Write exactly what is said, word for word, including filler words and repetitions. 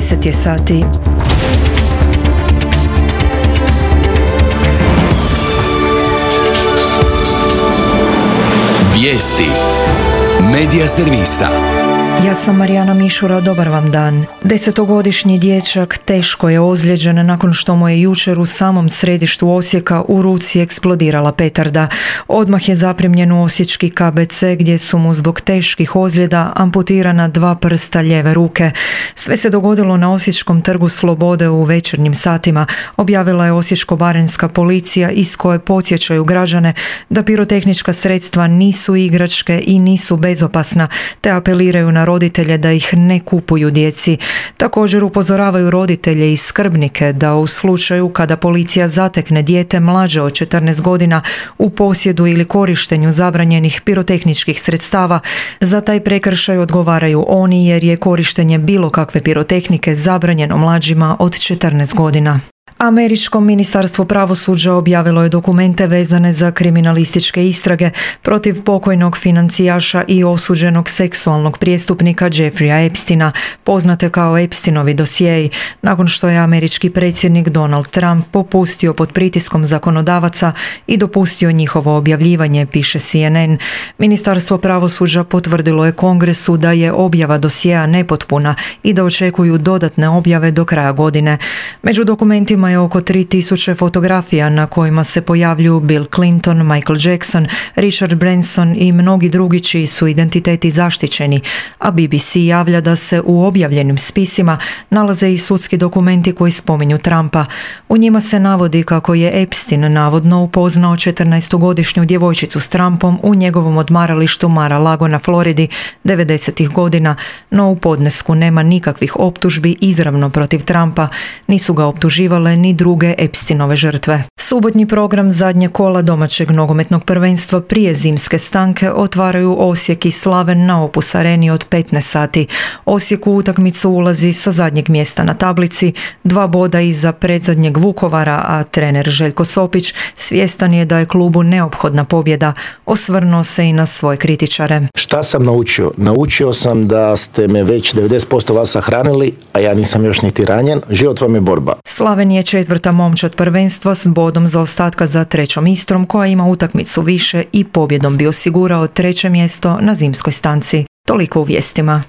deset je sati. Vijesti Medija servisa. Ja sam Marijana Mišura, dobar vam dan. Desetogodišnji dječak teško je ozlijeđen nakon što mu je jučer u samom središtu Osijeka u ruci eksplodirala petarda. Odmah je zaprimljen u osječki K B C gdje su mu zbog teških ozljeda amputirana dva prsta lijeve ruke. Sve se dogodilo na Osječkom trgu Slobode u večernjim satima, objavila je Osječko-baranjska policija iz koje podsjećaju građane da pirotehnička sredstva nisu igračke i nisu bezopasna, te apeliraju na roditelje da ih ne kupuju djeci. Također upozoravaju roditelje i skrbnike da u slučaju kada policija zatekne dijete mlađe od četrnaest godina u posjedu ili korištenju zabranjenih pirotehničkih sredstava, za taj prekršaj odgovaraju oni jer je korištenje bilo kakve pirotehnike zabranjeno mlađima od četrnaest godina. Američko ministarstvo pravosuđa objavilo je dokumente vezane za kriminalističke istrage protiv pokojnog financijaša i osuđenog seksualnog prijestupnika Jeffreya Epsteina, poznate kao Epsteinovi dosjei, nakon što je američki predsjednik Donald Trump popustio pod pritiskom zakonodavaca i dopustio njihovo objavljivanje, piše C N N. Ministarstvo pravosuđa potvrdilo je Kongresu da je objava dosjea nepotpuna i da očekuju dodatne objave do kraja godine. Među dokumentima je oko tri tisuće fotografija na kojima se pojavljuju Bill Clinton, Michael Jackson, Richard Branson i mnogi drugi čiji su identiteti zaštićeni, a B B C javlja da se u objavljenim spisima nalaze i sudski dokumenti koji spominju Trumpa. U njima se navodi kako je Epstein navodno upoznao četrnaestogodišnju djevojčicu s Trumpom u njegovom odmaralištu Mar-a-Lago na Floridi devedesetih godina, no u podnesku nema nikakvih optužbi izravno protiv Trumpa, nisu ga optuživale ni druge Epsteinove žrtve. Subotnji program zadnje kola domaćeg nogometnog prvenstva prije zimske stanke otvaraju Osijek i Slaven na Opus Areni od petnaest sati. Osijek u utakmicu ulazi sa zadnjeg mjesta na tablici, dva boda iza predzadnjeg Vukovara, a trener Željko Sopić svjestan je da je klubu neophodna pobjeda. Osvrnuo se i na svoje kritičare. Šta sam naučio? Naučio sam da ste me već devedeset posto vas sahranili, a ja nisam još niti ranjen. Život vam je borba. Slaven je četvrta momčad prvenstva s bodom zaostatka za trećom Istrom koja ima utakmicu više i pobjedom bi osigurao treće mjesto na zimskoj stanci. Toliko u vijestima.